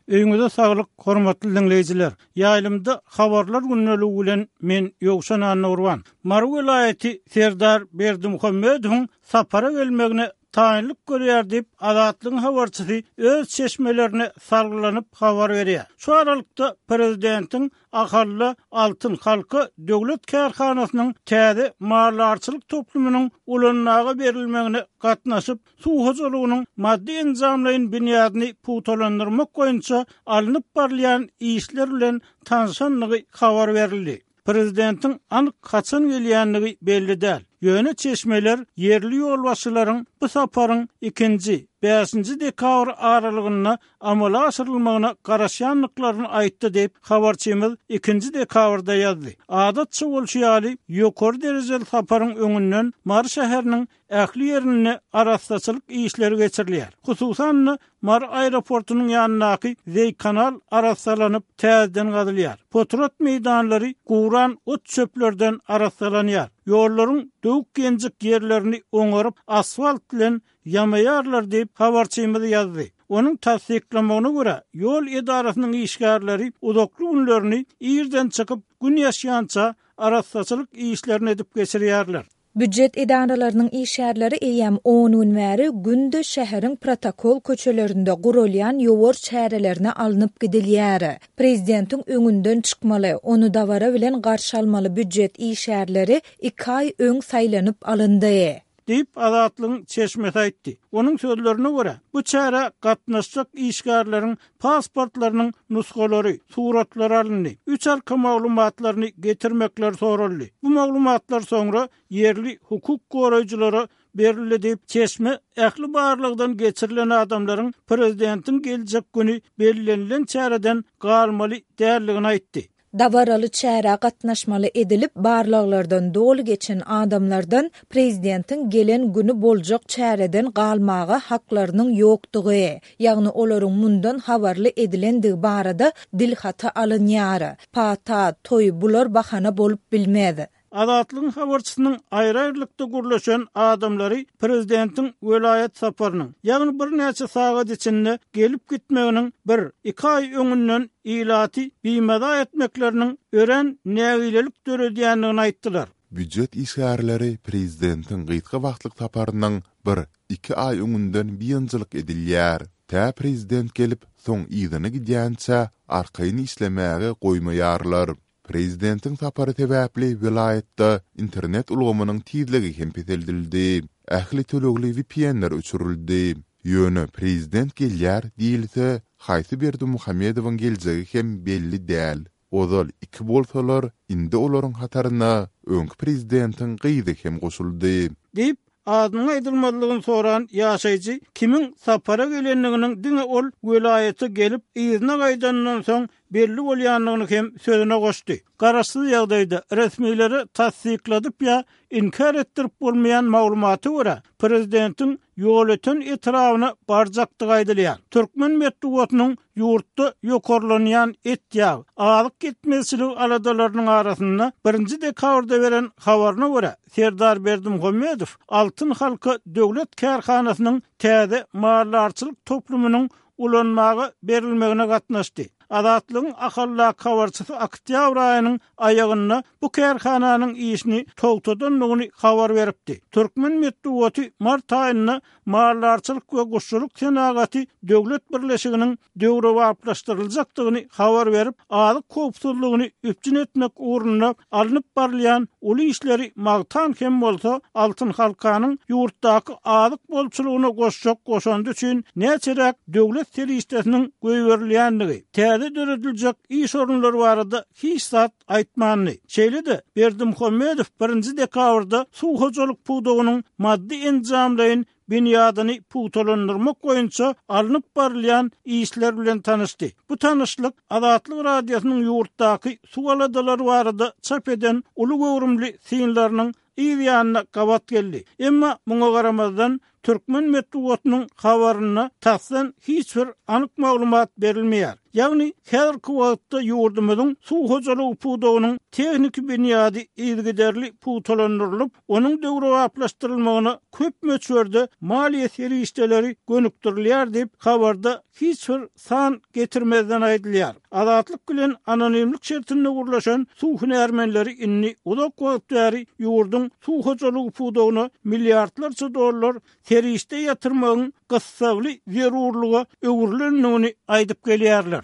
Öýüňize saglyk, hormatly diňleýjiler! Ýaýlymda Habarlar gündeligi bilen men Ýowşan Annagurban. Mary welaýaty Serdar Berdimuhamedowyň sapara gelmegine taýynlyk görýär diýip, Azatlygyň habarçysy öz çeşmelerine salgylanyp habar berýär. Şu aralykda, prezidentiň Ahalda Altyn halka döwlet kärhanasynyň täze maldarçylyk toplumynyň ulanmaga berilmegine gatnaşyp, suw hojalygynyň maddy-enjamlaýyn binýadyny pugtalandyrmak boýunça alnyp barylýan işler bilen tanşandygy habar berildi. Prezidentiň anyk haçan gelýändigi belli däl. Ýöne çeşmeler ýerli ýolbaşçylaryň bu saparyň ikinji, bäşinji dekabr aralygynda amala aşyrylmagyna garaşýandyklaryny aýtdy diýip, habarçymyz ikinji dekabrda ýazdy. Adatça bolşy ýaly, ýokary derejeli saparyň öňünden Mary şäheriniň ähli ýerinde arassaçylyk işleri geçirilýär. Hususan-da, Mary aeroportunyň ýanyndaky zeý-kanal arassalanyp, täzeden gazylýar. Potrat meýdanlary guran ot-çöplerden arassalanýar. Ýollaryň döwük-ýenjik ýerlerini oňaryp, asfalt bilen ýamaýarlar diýip, habarçymyz ýazdy. Onuň tassyklamagyna görä, ýol edarasynyň işgärleri uzakly günlerini irden çykyp, Gün ýaşýança arassaçylyk işlerini edip geçirýärler. Býujet edaralarynyň işgärleri eýýäm on gün bäri günde şäheriň protokol köçelerinde guralýan ýowar çärelerine alnyp gidilýär. Prezidentiň öňünden çykmaly, ony dabara bilen garşy almaly býujet işgärleri iki aý öň saýlanyp alyndy. Diýip, Azatlygyň çeşmesi aýtdy. Onuň sözlerine görä, bu çärä gatnaşjak işgärleriň pasportlarynyň nusgalary, suratlary alyndy, üç arka maglumatlaryny getirmekleri soraldy. Bu maglumatlar soňra ýerli hukuk goraýjylara berildi diýip, çeşme ähli barlagdan geçirilen adamlaryň prezidentiň geljek güni bellenilen çäreden galmaly däldigini aýtdy. Dabaraly çärä gatnaşmaly edilip barlaglardan doly geçen adamlardan prezidentiň gelen güni boljak çäreden galmaga haklarynyň ýokdugy, ýagny olaryň mundan habarly edilendigi barada dilhaty alynýar. Pata, toý bular bahana bolup bilmez. Azatlygyň habarçysynyň aýry-aýrylykda gürleşen adamlary prezidentiň welaýat saparynyň, ýagny birnäçe sagat içinde gelip gitmeginiň bir, iki aý öňünden ilaty bimaza etmekleriniň örän nägilelik döredýändigini aýtdylar. Býujet işgärleri prezidentiň gysga wagtlyk saparynyň bir, iki aý öňünden biynjalyk edilýär. Tä prezident gelip, soň yzyna gidýänçä arkaýyn işlemäge goýmaýarlar. Prezidentiň sapary sebäpli welaýatda internet ulgamynyň tizligi hem peseldildi. Ähli tölegli VPN-ler öçürildi. Ýöne prezident gelýär diýilse, haýsy Berdimuhamedowyň geljegi hem belli däl. Ozal iki bolsalar, indi olaryň hataryna öňki prezidentiň gyzy hem goşuldy. Diýip, Adynyň aýdylmazlygyny soran ýaşaýjy kimiň sapara gelendiginiň diňe ol welaýata gelip, yzyna gaýdanyndan soň belli bolýandygyny hem sözüne goşdy. Garaşsyz ýagdaýda resmilere tassykladyp ýa inkär etdirip bolmaýan maglumata görä, prezidentiň Ýolöten etrabyna barjakdygy aýdylýar. Türkmen metbugatynyň ýurtda ýokarlanýan et-ýag, azyk ýetmezçiligi aladalarynyň arasynda birinji dekabrda beren habaryna görä, Serdar Berdimuhamedow Altyn halka döwlet kärhanasynyň täze maldarçylyk toplumynyň ulanmaga berilmegine gatnaşdy. Azatlygyň Ahaldaky habarçysy oktýabr aýynyň aýagynda bu kärhananyň işini togtadandygyny habar beripdi. Türkmen metbugaty mart aýynda Maldarçylyk we guşçulyk senagaty döwlet birleşiginiň döwrebaplaşdyryljakdygyny habar berip, azyk howpsuzlygyny üpjün etmek ugrunda alnyp barylýan uly işleri magtan hem bolsa, Altyn halkanyň ýurtdaky azyk bolçulygyna goşjak goşandy üçin näçeräk döwlet serişdesiniň goýberilýändigi, täze dörediljek iş orunlary barada hiç zat aýtmandy. Şeýle-de, Berdimuhamedow birinji dekabrda suw hojalyk pudagynyň maddy-enjamlaýyn binýadyny pugtalandyrmak boýunça alnyp barylýan işler bilen tanyşdy. Bu tanyşlyk Azatlyk Radiosynyň ýurtdaky suw aladalary barada çap eden uly göwrümli synlarynyň yz ýanyna gabat geldi. Emma muňa garamazdan, türkmen metbugatynyň habarynda tasdan hiç bir anyk maglumat berilmeýär. Ýagny, häzirki wagtda ýurdumyzyň suw hojalygy pudagynyň tehniki binýady yzygiderli pugtalandyrylyp, onuň döwrebaplaşdyrylmagyna köp möçberde maliýe serişdeleri gönükdirilýär diýip, habarda hiç bir san getirmezden aýdylýar. Azatlyk bilen anonimlik şertinde gürleşen suw hünärmenleri indi uzak wagt bäri ýurduň suw hojalygy pudagyna milliardlarça dollar serişde ýatyrmagyň gyssagly zerurlyga öwrülendigini aýdyp gelýärler.